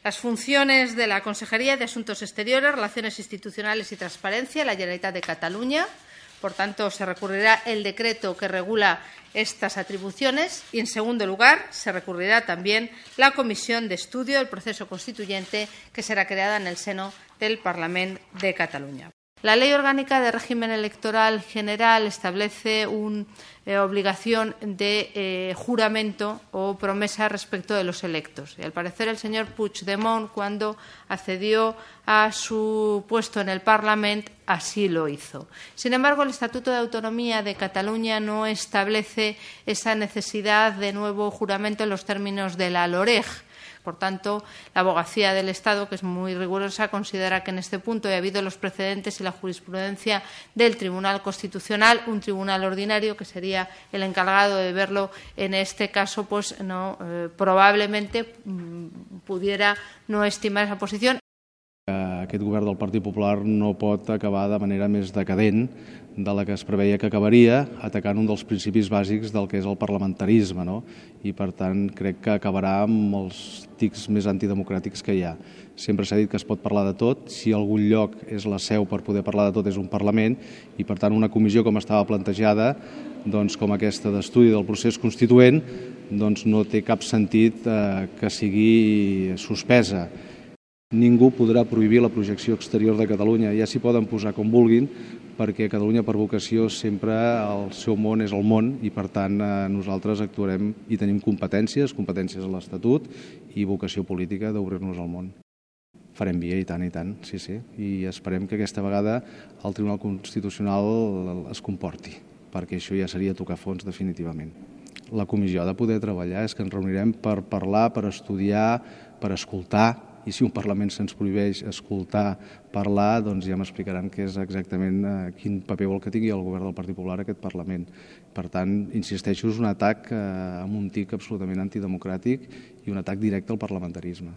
Las funciones de la Consejería de Asuntos Exteriores, Relaciones Institucionales y Transparencia, la Generalitat de Cataluña. Por tanto, se recurrirá el decreto que regula estas atribuciones y, en segundo lugar, se recurrirá también la Comisión de Estudio del Proceso Constituyente que será creada en el seno del Parlament de Cataluña. La Ley Orgánica de Régimen Electoral General establece una obligación de juramento o promesa respecto de los electos. Y, al parecer, el señor Puigdemont, cuando accedió a su puesto en el Parlament, así lo hizo. Sin embargo, el Estatuto de Autonomía de Cataluña no establece esa necesidad de nuevo juramento en los términos de la LOREG. Por tanto, la Abogacía del Estado, que es muy rigurosa, considera que en este punto, y habido los precedentes y la jurisprudencia del Tribunal Constitucional, un tribunal ordinario, que sería el encargado de verlo en este caso, pues probablemente pudiera no estimar esa posición. Aquest govern del Partit Popular no pot acabar de manera més decadent de la que es preveia que acabaria, atacant un dels principis bàsics del que és el parlamentarisme, no? I, per tant, crec que acabarà amb els tics més antidemocràtics que hi ha. Sempre s'ha dit que es pot parlar de tot, si algun lloc és la seu per poder parlar de tot és un Parlament, i, per tant, una comissió com estava plantejada, doncs, com aquesta d'estudi del procés constituent, doncs no té cap sentit que sigui suspesa. Ningú podrà prohibir la projecció exterior de Catalunya, ja s'hi poden posar com vulguin, perquè Catalunya per vocació sempre el seu món és el món i, per tant, nosaltres actuarem i tenim competències a l'Estatut i vocació política d'obrir-nos al món. Farem via, i tant, sí, i esperem que aquesta vegada el Tribunal Constitucional es comporti, perquè això ja seria tocar fons definitivament. La comissió ha de poder treballar, és que ens reunirem per parlar, per estudiar, per escoltar, i si un Parlament se'ns prohibeix escoltar, parlar, doncs ja m'explicaran què és exactament quin paper vol que tingui el govern del Partit Popular a aquest Parlament. Per tant, insisteixo, és un atac amb un tic absolutament antidemocràtic i un atac directe al parlamentarisme.